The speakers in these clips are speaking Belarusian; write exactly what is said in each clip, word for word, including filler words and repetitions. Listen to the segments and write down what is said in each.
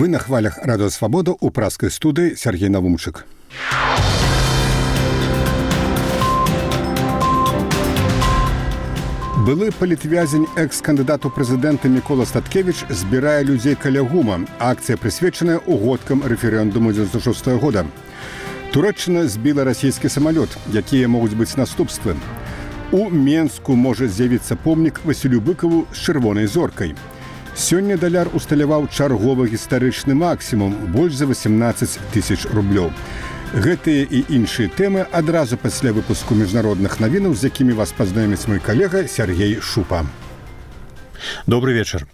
Вы на хвалях Радио Свобода у праской студии Сергей Навумчик. Былы палітвязень экс-кандыдат у прэзідэнта Мікола Статкевіч збірае людзей каля гума. Акцыя прысвечаная угодкам рэферэндуму дзевяносто шестого года. Турэччына збіла расійскі самалёт, якія могуць быць наступствы. У Менску можа з'явіцца помнік Васілю Быкаву з чырвонай зоркай. Сёння даляр усталяваў чарговы гістарычны максімум больш за восемнадцать тысяч рублёў. Гэтыя і іншыя тэмы адразу пасля выпуску міжнародных навінаў, з якімі вас пазнаёміць мой калега Сергей Шупа. Добрый вечер.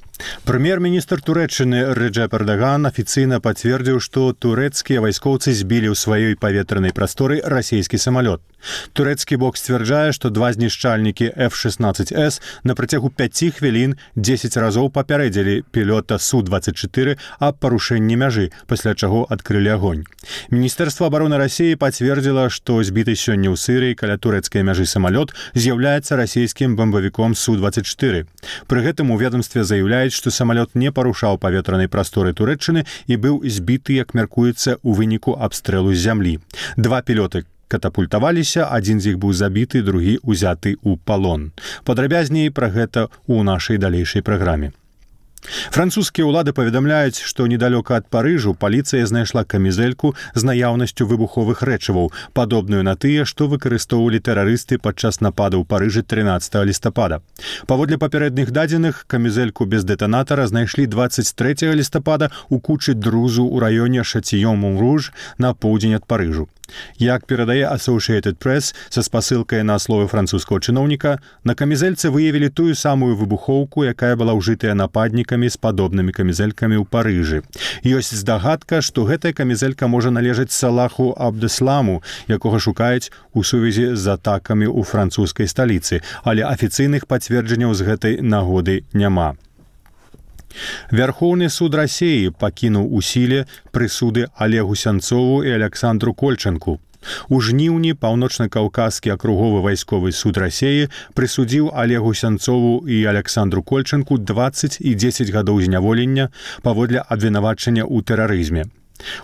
Прэм'ер-міністр Турэччыны Рэджэп Эрдаган афіцыйна пацвердзіў, што турэцкія вайскоўцы збілі ў сваёй паветранай прасторы расійскі самалёт. Турэцкі бок сцвярджае, што два знішчальнікі эф шестнадцать эс на працягу пяці хвілін дзесяць разоў папярэдзілі пілота Су двадцать четыре аб парушэнні мяжы, пасля чаго адкрылі агонь. Міністэрства абароны Расіі пацвердзіла, што збіты сёння ў Сырыі каля турэцкай мяжы самалёт з'яўляецца расійскім бамбавіком Су двадцать четыре. Пры гэтым у ведомстве заяўляюць, што самалёт не парушаў паветранай прасторы Турэччыны і быў збіты, як мяркуецца, у выніку абстрэлу з зямлі. Два пілоты катапультаваліся, адзін з іх быў забіты, другі ўзяты ў палон. Падрабязней пра гэта ў нашай далейшай праграме. Французскія ўлады паведамляюць, што недалёка ад Парыжу паліцыя знайшла камізэльку з наяўнасцю выбуховых рэчываў, падобную на тыя, што выкарыстоўвалі тэрарысты падчас нападу ў Парыжы трынаццатага лістапада. Паводле папярэдніх дадзеных, камізэльку без дэтанатара знайшлі двадцать трэцяга лістапада ў кучы друзу ў раёне Шатіён-Мун-Руж на поўдзень ад Парыжу. Як перадае Associated Press са спасылкай на словы французскага чыноўніка, на камізэльцы выявілі тую самую выбухоўку, якая была ўжытая нападнікамі з падобнымі камізэлькамі ў Парыжы. Ёсць здагадка, што гэтая камізэлька можа належаць Салаху Абдесламу, якога шукаюць у сувязі з атакамі ў французскай сталіцы, але афіцыйных пацверджанняў з гэтай нагоды няма. Вярхоўны суд Расіі пакінуў у сіле прысуды Олегу Сянцову і Александру Кольчанку. У жніўні паўночна-каўказскі акруговы вайсковы суд Расіі прысудзіў Олегу Сянцову і Александру Кольчанку двадцать і дзесяць гадоў зняволення паводле абвінавачання ў тэрарызме.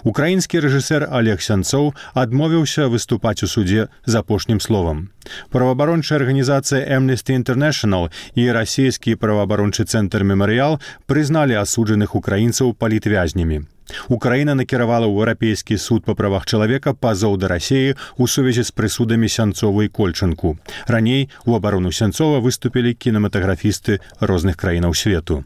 Украінскі рэжысэр Олег Сянцоў адмовіўся выступаць у судзе з апошнім словам. Праваабарончая арганізацыя Amnesty International і расійскі праваабарончы цэнтр «Мемарыял» прызналі асуджаных украінцаў палітвязнямі. Украіна накіравала ў Еўрапейскі суд па правах чалавека пазоў да Расіі ў сувязі з прысудамі Сянцову і Кольчанку. Раней у абарону Сянцова выступілі кінематаграфісты розных краінаў свету.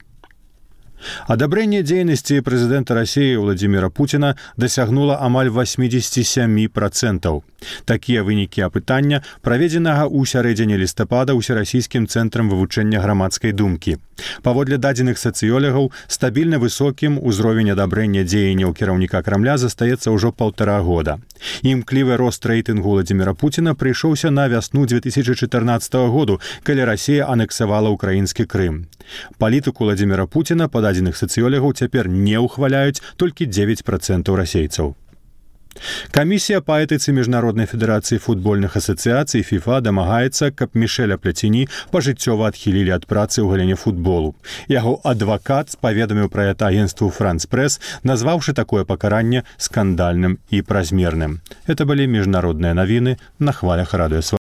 Адабрэнне дзейнасці прэзідэнта Расіі Владзіміра Пуціна дасягнула амаль восемьдесят семь процентов. Такія вынікі апытання, праведзенага ў сярэдзіне лістапада ўсерасійскім цэнтрам вывучэння грамадскай думкі. Паводле дадзеных сацыёлагаў, стабільна высокім узровень адабрэння дзеянняў кіраўніка Крамля застаецца ўжо паўтара года. Імклівы рост рэйтынгу Владзіміра Пуціна прыйшоўся на вясну две тысячи четырнадцатого году, калі Расія анексавала ўкраінскі Крым. Палітыку Владзіміра Пуціна па дадзеных сацыёлагаў цяпер не ўхваляюць толькі девять процентов расейцаў. Камісія па этыцы Міжнароднай федэрацыі футбольных асацыяцый ФІФА дамагаецца, каб Мішэля Пляціні пажыццёва адхілілі ад працы ў галіне футболу. Яго адвакат паведаміў пра гэта агенцтву «Франс Прэс», назваўшы такое пакаранне скандальным і празмерным. Это былі міжнародныя навіны на хвалях Радыё Свабода.